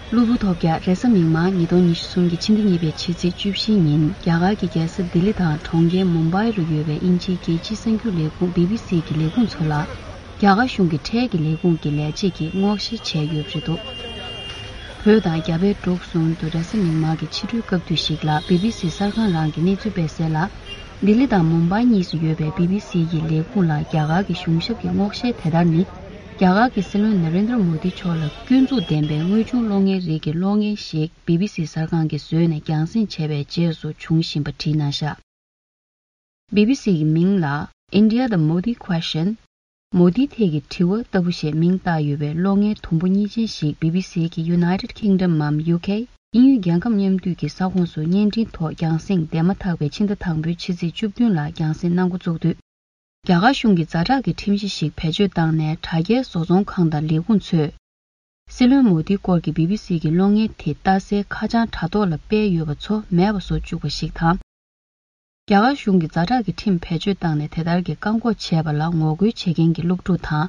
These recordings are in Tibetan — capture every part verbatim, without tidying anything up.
གློ་བུར་ཐོལ་རྒྱག་རེས་གཟའ་མིག་དམར་ཉིས་སྟོང་ཉི་ཤུ་གསུམ་གྱི་ཕྱི་ཟླ་གཉིས་པའི་ཕྱི་ཚེས་བཅུ་བཞི་ཉིན། རྒྱ་གར་གྱི་རྒྱལ་ས་ལྡི་ལི་དང་གྲོང་ཁྱེར་མུམ་བྷའི་རུ་ཡོད་པའི་དབྱིན་ཇིའི་རྒྱལ་སྤྱིའི་གསར་འགྱུར་ལས་ཁུངས་བི་བི་སི་གི་ལས་ཁུངས་ཚོ་ལ། རྒྱ་གར་གཞུང་གི་ཁྲལ་གྱི་ལས་ཁུངས་ཀྱི་ལས་བྱེད་ཀྱིས་སྔོག་བཤེར་བྱས་ཡོད་པ་རེད་འདུག་བོད་དང་རྒྱ་བལ་འབྲུག་གསུམ་དུ་རེས་གཟའ་མིག་དམར་གྱི་ཕྱི་དྲོའི་སྐབས་དུས་ཤིག་ལ་བི་བི་སི་གསར་ཁང་རང་གིས་གནས་ཚུལ་སྤེལ་གསལ་ལ། ལྡི་ལི་དང་མུམ་བྷའི་གཉིས་སུ་ཡོད་པའི་བི་བི་སི་ཡི་ལས་ཁུངས་ལ་རྒྱ་གར་གྱི་གཞུང་ཞབས་ཀྱི་སྔོག་བཤེར་དེ་ལྟར་ནི། རྒྱ་གར་གྱི་སྲིད་བློན་ནཱ་རེན་དྲ་མོ་དི་མཆོག་ལ་སྐྱོན་འཛུགས་ལྡན་པའི་དངོས་བྱུང་གློག་བརྙན་རིགས་ཀྱི་གློག་བརྙན་ཞིག་བི་བི་སི་གསར་ཁང་གིས་བཟོས་ནས་རྒྱང་སྲིང་བྱས་པའི་རྗེས་སུ་བྱུང་བཞིན་པ་བྲིས་གནང་བཞག་བི་བི་སི་ཡི་མིང་ལ་India the Modi Question། མོ་དིའི་ཐད་ཀྱི་དྲི་བ་ལྟ་བུ་ཞེས་མིང་བཏགས་ཡོད་པའི་གློག་བརྙན་དུམ་བུ་གཉིས་ཅན་ཞིག་བི་བི་སི་གི་United Kingdom འམ་ཡུ་ཁེ། དབྱིན་ཡུལ་རྒྱལ་ཁབ་མཉམ་འདུས་ཀྱི་ས་ཁོངས་སུ་བརྙན་འཕྲིན་ཐོག་རྒྱང་སྲིང་འདས་མ་ཐག་པའི་ཕྱི་ཟླ་དང་པོའི་ཕྱི་ཚེས་བཅུ་བདུན་ལ་རྒྱང་སྲིང་གནང་འགོ་བཙུགས་དུས། རྒྱ་གར་གཞུང་གིས་ཛ་དྲག་གི་ཁྲིམས་གཞི་ཞིག་བེད་སྤྱོད་བཏང་ནས་དྲ་རྒྱའི་བཟོ་ཚོང་ཁང་དང་ལས་ཁུངས་ཚོས། སྲིད་བློན་མོ་དིའི་སྐོར་གྱི་བི་བི་སི་གི་གློག་བརྙན་དེ་ལྟ་སའི་ཁ་བྱང་དྲ་ཐོག་ལ་སྤེལ་ཡོད་པ་ཚོ་མེད་པ་བཟོ་བཅུག་པ་ཞིག་དང་། རྒྱ་གར་གཞུང་གིས་ཛ་དྲག་གི་ཁྲིམས་བེད་སྤྱོད་བཏང་ནས་དེ་ལྟར་གྱི་བཀག་འགོག་བྱས་པ་ལ་ངོ་རྒོལ་བྱེད་མཁན་གྱི་སློབ་ཕྲུག་དང་།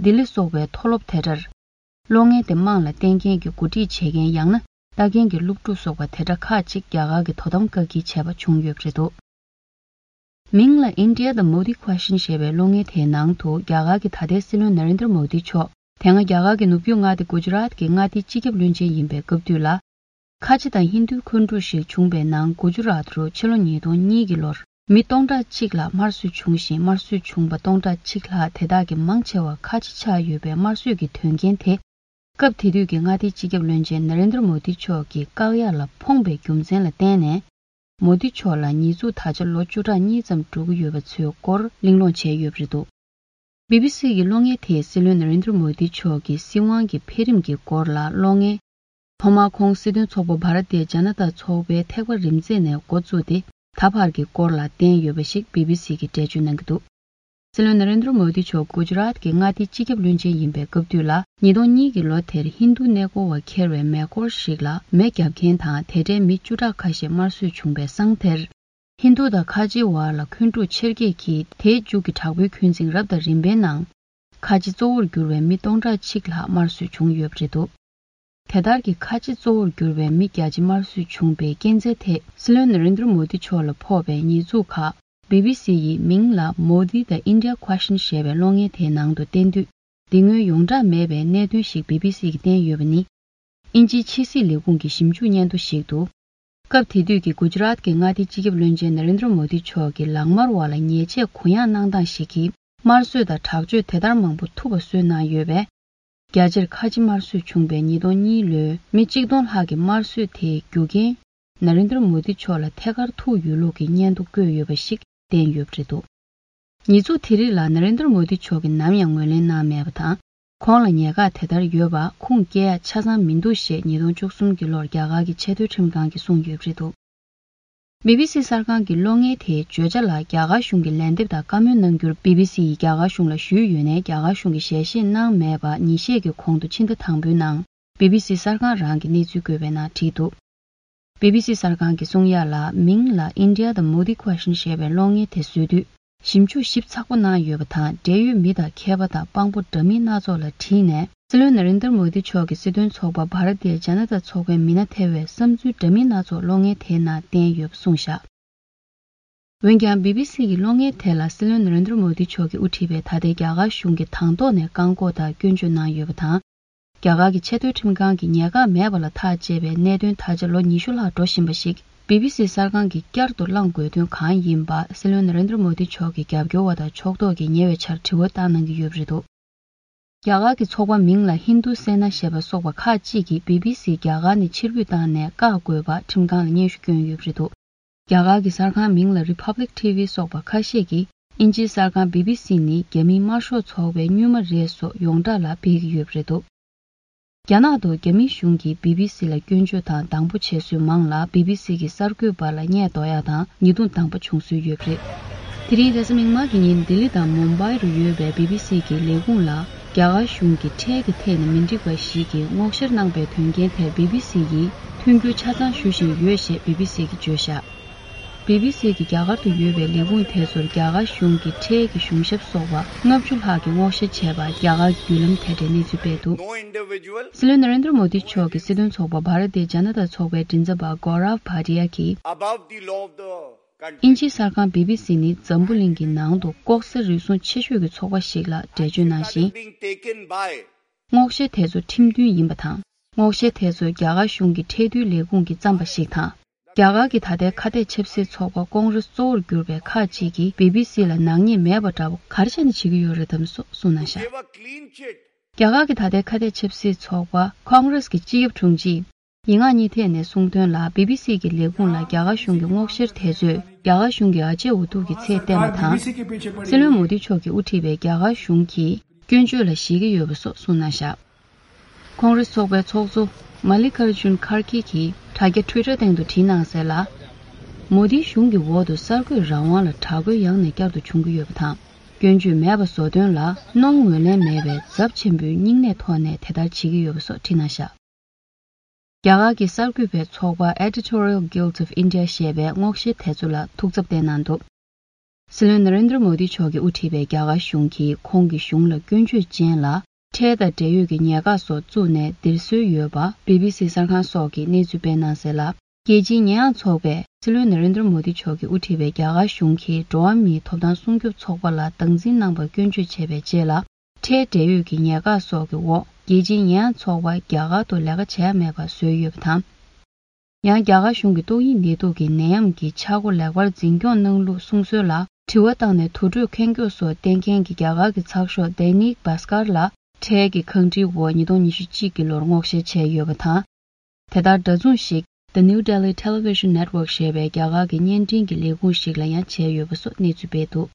ལྡི་ལི་སོགས་པའི་མཐོ་སློབ་དེ་འདྲར། གློག་བརྙན་དེ་དམངས་ལ་བསྟན་མཁན་གྱི་འགོ་ཁྲིད་བྱེད་མཁན་ཡང་ན་ལྟ་མཁན་གྱི་སློབ་ཕྲུག་སོགས་པ་དེ་འདྲ་ཁག་ཅིག་རྒྱ་གར་གྱི་དོ་དམ་བཀག་སྐྱིལ་བྱས་པ་བྱུང་ཡོད་པ་རེད་འདུག་མིང་ལ་India the Modi Question ཞེས་པའི་གློག་བརྙན་དེའི་ནང་དུ་རྒྱ་གར་གྱི་ད་ལྟའི་སྲིད་བློན་ནཱ་རེན་དྲ་མོ་དི་མཆོག་དེ་སྔ་རྒྱ་གར་གྱི་ནུབ་རྒྱུད་མངའ་སྡེ་གུ་ཇི་རཱཏ་ཀྱི་མངའ་སྡེའི་སྤྱི་ཁྱབ་བློན་ཆེན་ཡིན་པའི་སྐབས་དུས་ལ། ཁ་ཆེ་དང་ཧིན་རྡུའི་འཁོན་འཁྲུག་ཞིག་བྱུང་པའི་ནང་གུ་ཇི་རཱཏ་རུ་ཕྱི་ལོ་ཉིས་སྟོང་གཉིས་ཀྱི་ལོར་མི་སྟོང་ཕྲག་གཅིག་ལྷག་དམར་གསོད་བྱུང་ཞིང་། དམར་གསོད་བྱུང་པ་སྟོང་ཕྲག་གཅིག་ལྷག་དེ་དག་གི་མང་ཆེ་བ་ཁ་ཆེ་ཆགས་ཡོད་པའི་དམར་གསོད་ཀྱི་དོན་རྐྱེན་དེ། སྐབས་དེ་དུས་ཀྱི་མངའ་སྡེའི་སྤྱི་ཁྱབ་བློན་ཆེན་ནཱ་རེན་དྲ་མོ་དི་མཆོག་གི་བཀག་ཡ་ལ་ཕོངས་པའི་རྒྱུ་མཚན་ལ་བརྟེན་ནས། མོ་དི་མཆོག་ལ་ཉེས་འཛུགས་ད་ཆ་ལོ་བཅུ་ཕྲག་གཉིས་ཙམ་འགྲོ་གི་ཡོད་པ་ཚོའི་སྐོར་གླེང་སློང་བྱས་ཡོད་པ་རེད་འདུག་བི་བི་སི་ཡི་གློག་བརྙན་དེས་སྲིད་བློན་ནཱ་རེན་དྲ་མོ་དི་མཆོག་གི་སྲིད་དབང་གི་འཕེལ་རིམ་གྱི་སྐོར་ལ་གློག་བརྙན། ཐོག་མར་ཁོང་སྲིད་དོན་ཚོགས་པ་བྷ་ར་ཏི་ཡ་ཇ་ན་ཏ་ཚོགས་པའི་ཐེག་པ་རིམ་འཛེགས་ནས་འགོ་བཙུགས་ཏེ་ད་བར་གྱི་སྐོར་ལ་བསྟན་ཡོད་པ་ཞིག་བི་བི་སི་གིས་འགྲེལ་བརྗོད་གནང་གི་འདུག་སྲིད་བློན་ནཱ་རེན་དྲ་མོ་དི་མཆོག་གུ་ཇི་རཱཏ་ཀྱི་མངའ་སྡེའི་སྤྱི་ཁྱབ་བློན་ཆེན་ཡིན་པའི་སྐབས་དུས་ལ། ཉིས་སྟོང་གཉིས་ཀྱི་ལོ་དེར་ཧིན་རྡུ་གནས་སྐོར་བ་འཁྱེར་བའི་མེ་འཁོར་ཞིག་ལ་མེ་བརྒྱབ་མཁན་དང་། དེ་འདྲའི་མི་བཅུ་ཕྲག་ཁ་ཤས་དམར་གསོད་བྱུང་པའི་སང་དེར། ཧིན་རྡུ་དང་ཁ་ཆེའི་བར་ལ་འཁོན་འཁྲུག་ཆེར་སྐྱེད་ཀྱིས། དེའི་མཇུག་གི་དྲག་པོའི་འཁོན་འཛིང་རབ་དང་རིམ་པའི་ནང་། ཁ་ཆེ་གཙོ་བོར་གྱུར་བའི་མི་སྟོང་ཕྲག་གཅིག་ལྷག་དམར་གསོད་བྱུང་ཡོད་པ་རེད་འདུག་དེ་ལྟར་གྱི་ཁ་ཆེ་གཙོ་བོར་གྱུར་བའི་མི་བརྒྱ་ཆ་དམར་གསོད་བྱུང་པའི་རྐྱེན་རྩ་དེ། སྲིད་བློན་ནཱ་རེན་དྲ་མོ་དི་མཆོག་ལ་ཕོག་པའི་ཉེས་འཛུགས་ཁག་བི་བི་སི་ཡིས་མིང་ལ་Modi the India Question ཞེས་པའི་གློག་བརྙན་དེའི་ནང་དུ་བསྟན་དུས། དེ་སྔོན་ཡོངས་གྲགས་མེད་པའི་གནད་དོན་ཞིག་བི་བི་སི་གིས་བསྟན་ཡོད་པ་ནི། དབྱིན་ཇིའི་ཕྱི་སྲིད་ལས་ཁུངས་ཀྱི་ཞིབ་འཇུག་སྙན་ཐོ་ཞིག་ཏུ། སྐབས་དེ་དུས་ཀྱི་གུ་ཇི་རཱཏ་ཀྱི་མངའ་སྡེའི་སྤྱི་ཁྱབ་བློན་ཆེན་ནཱ་རེན་དྲ་མོ་དི་མཆོག་གིས་ལག་དམར་བ་ལ་ཉེས་ཆད་གུ་ཡངས་གནང་སྟངས་ཤིག་གིས། དམར་གསོད་དང་དྲག་སྤྱོད་དེ་ལྟར་མང་པོ་ཐུབ་པ་བཟོས་གནང་ཡོད་པས། རྒྱ་ཆེར་ཁ་ཆེ་དམར་གསོད་བྱུང་པའི་ཉིས་སྟོང་གཉིས་ལོའི་མི་གཅིག་སྟོང་ལྷག་གི་དམར་གསོད་དེའི་རྒྱུ་རྐྱེན། ནཱ་རེན་དྲ་མོ་དི་མཆོག་ལ་ཐད་ཀར་ཐུག་ཡོད་ལུགས་ཀྱི་སྙན་ཐོ་བཀོད་ཡོད་པ་ཞིག་བསྟན་ཡོད་པ་རེད་འདུག་ཉེས་འཛུགས་དེ་རིགས་ལ་ནཱ་རེན་དྲ་མོ་དི་མཆོག་གིས་ནམ་ཡང་ངོས་ལེན་གནང་མེད་པ་དང་། ཁོང་ལ་ཉེས་ཁག་དེ་ལྟར་ཡོད་པ་ཁུངས་སྐྱེལ་ཡ་ཆ་ཚང་མི་འདུག་ཞེས་ཉིས་སྟོང་བཅུ་གསུམ་གྱི་ལོར་རྒྱ་གར་གྱི་ཆེས་མཐོའི་ཁྲིམས་ཁང་གིས་གསུངས་ཡོད་པ་རེད་འདུག་བི་བི་སི་གསར་ཁང་གི་གློག་བརྙན་དེའི་བརྗོད་བྱ་ལ་རྒྱ་གར་གཞུང་གིས་ལན་འདེབས་དང་བཀའ་མོལ་གནང་རྒྱུར་བི་བི་སི་ཡིས་རྒྱ་གར་གཞུང་ལ་ཞུས་ཡོད་ནའི་རྒྱ་གར་གཞུང་གིས་ཞལ་བཞེས་གནང་མེད་པ་ཉིན་ཤས་ཀྱི་གོང་དུ་ཕྱི་ཟླ་དང་པོའི་ནང་བི་བི་སི་གསར་ཁང་རང་གིས་གནས་ཚུལ་བཀོད་པའི་ནང་བྲིས་འདུག་བི་བི་སི་གསར་ཁང་གིས་གསུང་ཡ་ལ། མིང་ལ་India the Modi Question ཞེས་པའི་གློག་བརྙན་དེ་བཟོས་དུས། ཞིབ་འཇུག་ཞིབ་ཚགས་པོ་གནང་ཡོད་པ་དང་། འབྲེལ་ཡོད་མི་དང་མཁས་པ་དང་དཔང་པོ་འདྲ་མིན་སྣ་ཚོགས་ལ་དྲིས་ནས། སྲིད་བློན་ནཱ་རེན་དྲ་མོ་དི་མཆོག་གི་སྲིད་དོན་ཚོགས་པ་བྷ་ར་ཏི་ཡ་ཇ་ན་ཏ་ཚོགས་པའི་མི་སྣ་ཐེ་བའི་བསམ་ཚུལ་འདྲ་མིན་སྣ་ཚོགས་གློག་བརྙན་དེའི་ནང་བསྟན་ཡོད་པ་གསུངས་བཞག་འོན་ཀྱང་། བི་བི་སི་ཡི་གློག་བརྙན་དེ་ལ་སྲིད་བློན་ནཱ་རེན་དྲ་མོ་དི་མཆོག་གིས་དབུ་ཁྲིད་པའི་ད་ལྟའི་རྒྱ་གར་གཞུང་གིས་དང་ཐོག་ནས་བཀག་འགོག་དང་སྐྱོན་བརྗོད་གནང་ཡོད་པ་དང་། རྒྱ་གར་གྱི་ཆེས་མཐོའི་ཁྲིམས་ཁང་གིས་ཉེས་ཁག་མེད་པ་ལ་ཐག་བཅད་པའི་གནད་དོན་ད་ཆ་ལོ་ཉི་ཤུ་ལྷག་འགྲོ་བཞིན་པ་ཞིག་བི་བི་སི་གསར་ཁང་གིས་བསྐྱར་དུ་བླངས་དགོས་དོན་གང་ཡིན་པ། སྲིད་བློན་ནཱ་རེན་དྲ་མོ་དི་མཆོག་གི་རྒྱབ་སྐྱོར་བ་དང་ཕྱོགས་གཏོགས་ཀྱིས་ཉེ་བའི་ཆར་དྲི་བ་བཏང་གནང་གི་ཡོད་པ་རེད་འདུག་རྒྱ་གར་གྱི་ཚོགས་པ་མིང་ལ་ཧིན་རྡུ་སེ་ན་ཞེས་པ་སོགས་པ་ཁག་ཅིག་གིས་བི་བི་སི་རྒྱ་གར་ནས་ཕྱིར་འབུད་བཏང་ནས་བཀག་དགོས་པ་ཁྲིམས་ཁང་ལ་སྙན་ཞུ་བསྐྱོན་ཡོད་པ་རེད་འདུག་རྒྱ་གར་གྱི་གསར་ཁང་མིང་ལ་Republic T V སོགས་པ་ཁ་ཤས་ཀྱིས། དབྱིན་ཇིའི་གསར་ཁང་བི་བི་སི་ནི་རྒྱ་མིའི་དམར་ཤོག་ཚོགས་པའི་སྨྱུག་མ་རེད་སོགས་ཡོངས་གྲགས་ལ་སྤེལ་གྱི་ཡོད་པ་རེད་འདུག་རྒྱ་ནག་ཏུ་རྒྱ་མིའི་གཞུང་གིས་བི་བི་སི་ལ་སྐྱོན་བརྗོད་དང་སྡང་པོ་བྱེད་སྲོལ་མང་ལ། བི་བི་སི་གི་གསར་འགོད་པ་ལ་བརྙས་འདོགས་ཡག་དང་ཉེས་རྡུང་དང་པོ་བྱུང་སྲོལ་ཡོད་པ་རེད། དེ་རིང་རེས་གཟའ་མིག་དམར་གྱི་ཉིན་ལྡི་ལི་དང་མུམ་བྷའི་རུ་ཡོད་པའི་བི་བི་སི་གི་ལས་ཁུངས་ལ། རྒྱ་གར་གཞུང་གིས་ཁྲལ་གྱི་ཐད་ནས་མི་འགྲིག་པ་ཞིག་གི་སྔོག་བཤེར་གནང་པའི་དོན་རྐྱེན་དེར་བི་བི་སི་ཡིས་མཐུན་འགྱུར་ཆ་ཚང་ཞུ་བཞིན་ཡོད་ཞེས་བི་བི་སི་གིས་བརྗོད་བཞག་བྷི་བྷི་སི་གི་རྒྱ་གར་དུ་ཡོད་པའི་ལས་ཁུངས་དེ་ཚོར་རྒྱ་གར་གཞུང་གི་ཁྲལ་གྱི་གཞུང་ཞབས་སོགས་པ་ལྔ་བཅུ་ལྷག་གིས་སྔོག་བཤེར་བྱས་པར་རྒྱ་གར་གྱི་བརྒྱུད་ལམ་དེ་འདྲའི་གནས་ཚུལ་སྤེལ་འདུག No individual སྲིད་བློན་ནཱ་རེན་དྲ་མོ་དི་མཆོག་གི་སྲིད་དོན་ཚོགས་པ་བྷ་ར་ཏི་ཇ་ན་ཏ་ཚོགས་པའི་མགྲིན་ཚབ་པ་གོ་རབ་བྷ་ཏི་ཡ་གིས། Above the law of the country. དབྱིན་ཇིའི་གསར་ཁང་བྷི་བྷི་སི་ནི་འཛམ་བུ་གླིང་གི་ནང་དུ་ལྐོག་ཟ་རུལ་སུངས་ཆེ་ཤོས་ཀྱི་ཚོགས་པ་ཞིག་ལ་འགྲེལ་བརྗོད་གནང་ཞིང་། Being taken by སྔོག་བཤེར་དེ་ཚོ་ཁྲིམས་མཐུན་ཡིན་པ་དང་། སྔོག་བཤེར་དེ་ཚོ་རྒྱ་གར་གཞུང་གི་ཁྲལ་བསྡུའི་ལས་ཁུངས་ཀྱིས་བརྩམས་པ་ཞིག་དང་། རྒྱ་གར་གྱི་ད་ལྟའི་ཁ་གཏད་ཆབ་སྲིད་ཚོགས་པ་ཀོང་རེས་གཙོ་བོར་གྱུར་པའི་ཁག་ཅིག་གིས་བྷི་བྷི་སི་ལ་ནག་ཉེས་མེད་པ་འདྲ་བོ་ག་རེ་བྱས་ནས་བྱེད་ཀྱི་ཡོད་རེད་དམ་སོགས་གསུངས་གནང་བཞག Gave a clean chit. རྒྱ་གར་གྱི་ད་ལྟའི་ཁ་གཏད་ཆབ་སྲིད་ཚོགས་པ་ཀོང་རེས་ཀྱི་སྤྱི་ཁྱབ་དྲུང་ཆེས་ཡིན་ངག་གཉིས་ཐད་ནས་གསུངས་དོན་ལ། བྷི་བྷི་སི་གི་ལས་ཁུངས་ལ་རྒྱ་གར་གཞུང་གི་སྔོག་བཤེར་དེ་ཚོས་རྒྱ་གར་གཞུང་གི་ཨ་ཅེ་འུ་ཐུག་གི་ཚད་བལྟས་པ་དང་། སྲིད་བློན་མོ་དི་མཆོག་གིས་དབུ་ཁྲིད་པའི་རྒྱ་གར་གཞུང་གིས་སྐྱོན་བརྗོད་ལ་ཞེད་ཀྱི་ཡོད་པ་སོགས་གསུངས་གནང་བཞག་ཀོང་རེས་ཚོགས་པའི་ཚོགས་གཙོ་མ་ལི་ཀར་ཇུན་ཁར་གྷེ་གིས་དྲ་རྒྱ་ཊུའི་ཊར་སྟེང་དུ་བྲིས་གནང་གསལ་ལ། མོ་དིའི་གཞུང་གི་འོག་ཏུ་གསར་འགོད་རང་དབང་ལ་དྲག་རྒོལ་ཡང་ནས་བསྐྱར་དུ་བྱུང་གི་ཡོད་པ་དང་། སྐྱོན་བརྗོད་མེད་པ་བཟོ་དོན་ལ་གནོང་ངོས་ལེན་མེད་པའི་ཚབས་ཆེན་པོའི་སྙིང་ནད་ཐོག་ནས་དེ་ལྟར་བྱེད་ཀྱི་ཡོད་པ་སོགས་བྲིས་གནང་བཞག་རྒྱ་གར་གྱི་གསར་འགོད་པའི་ཚོགས་པ་Editorial Guild of India ཞེས་པས་སྔོག་བཤེར་དེ་ཚོ་ལ་ཐུགས་འཚབ་བསྟན་གནང་འདུག་སྲིད་བློན་ནཱ་རེན་དྲ་མོ་དི་མཆོག་གིས་དབུ་ཁྲིད་པའི་རྒྱ་གར་གཞུང་གིས་ཁོང་གི་གཞུང་ལ་སྐྱོན་བརྗོད་ཅན་ལ་ཁྲལ་དང་འབྲེལ་ཡོད་ཀྱི་ཉེན་ཁ་སོགས་བཙུགས་ནས་འདིར་བཟོས་ཡོད་པ་བྷི་བྷི་སི་གསར་ཁང་སོགས་ཀྱིས་གནས་ཚུལ་སྤེལ་གནང་གསལ་ལ། རྒྱལ་སྤྱིའི་ཉེས་ཡངས་ཚོགས་པས་སྲིད་བློན་ནཱ་རེན་དྲ་མོ་དི་མཆོག་གིས་དབུ་ཁྲིད་པའི་རྒྱ་གར་གཞུང་གིས་འགྲོ་བ་མིའི་ཐོབ་ཐང་སྲུང་སྐྱོབ་ཚོགས་པ་ལ་སྟངས་འཛིན་གནང་བར་སྐྱོན་བརྗོད་བྱས་པའི་རྗེས་ལ། ཁྲལ་འབྲེལ་ཡོད་ཀྱི་ཉེན་ཁ་སོགས་ཀྱི་འོག་རྒྱལ་སྤྱིའི་ཉེས་ཡངས་ཚོགས་པ་རྒྱ་གར་དུ་ལས་ཀ་བྱས་མེད་པར་བཟོས་ཡོད་པ་དང་། ཡང་རྒྱ་གར་གཞུང་གིས་ཏོག་དབྱིབས་ནད་དུག་གི་ནད་ཡམས་ཀྱི་ཆག་སྒོ་ལེགས་པར་འཛིན་སྐྱོང་གནང་ལུགས་གསུང་སྲོལ་ལ་དྲི་བ་བཏང་ནས་དུར་ཁྲོད་ཁེངས་སྐྱོ་སོགས་བསྟན་མཁན་གྱི་རྒྱ་གར་གྱི་ཚགས་ཤོག་Dainik Bhaskar ལ་ཁྲལ་གྱི་ཁང་ཁྲིའི་འོག་ཉིས་སྟོང་ཉི་ཤུ་གཅིག་གི་ལོར་སྔོག་བཤེར་བྱས་ཡོད་པ་དང་། དེ་ལྟར་འདྲ་མཚུངས་ཤིག་The New Delhi Television Network ཞེས་པའི་རྒྱ་གར་གྱི་བརྙན་འཕྲིན་གྱི་ལས་ཁུངས་ཤིག་ལ་ཡང་བྱས་ཡོད་པ་སོགས་གནས་ཚུལ་སྤེལ་འདུག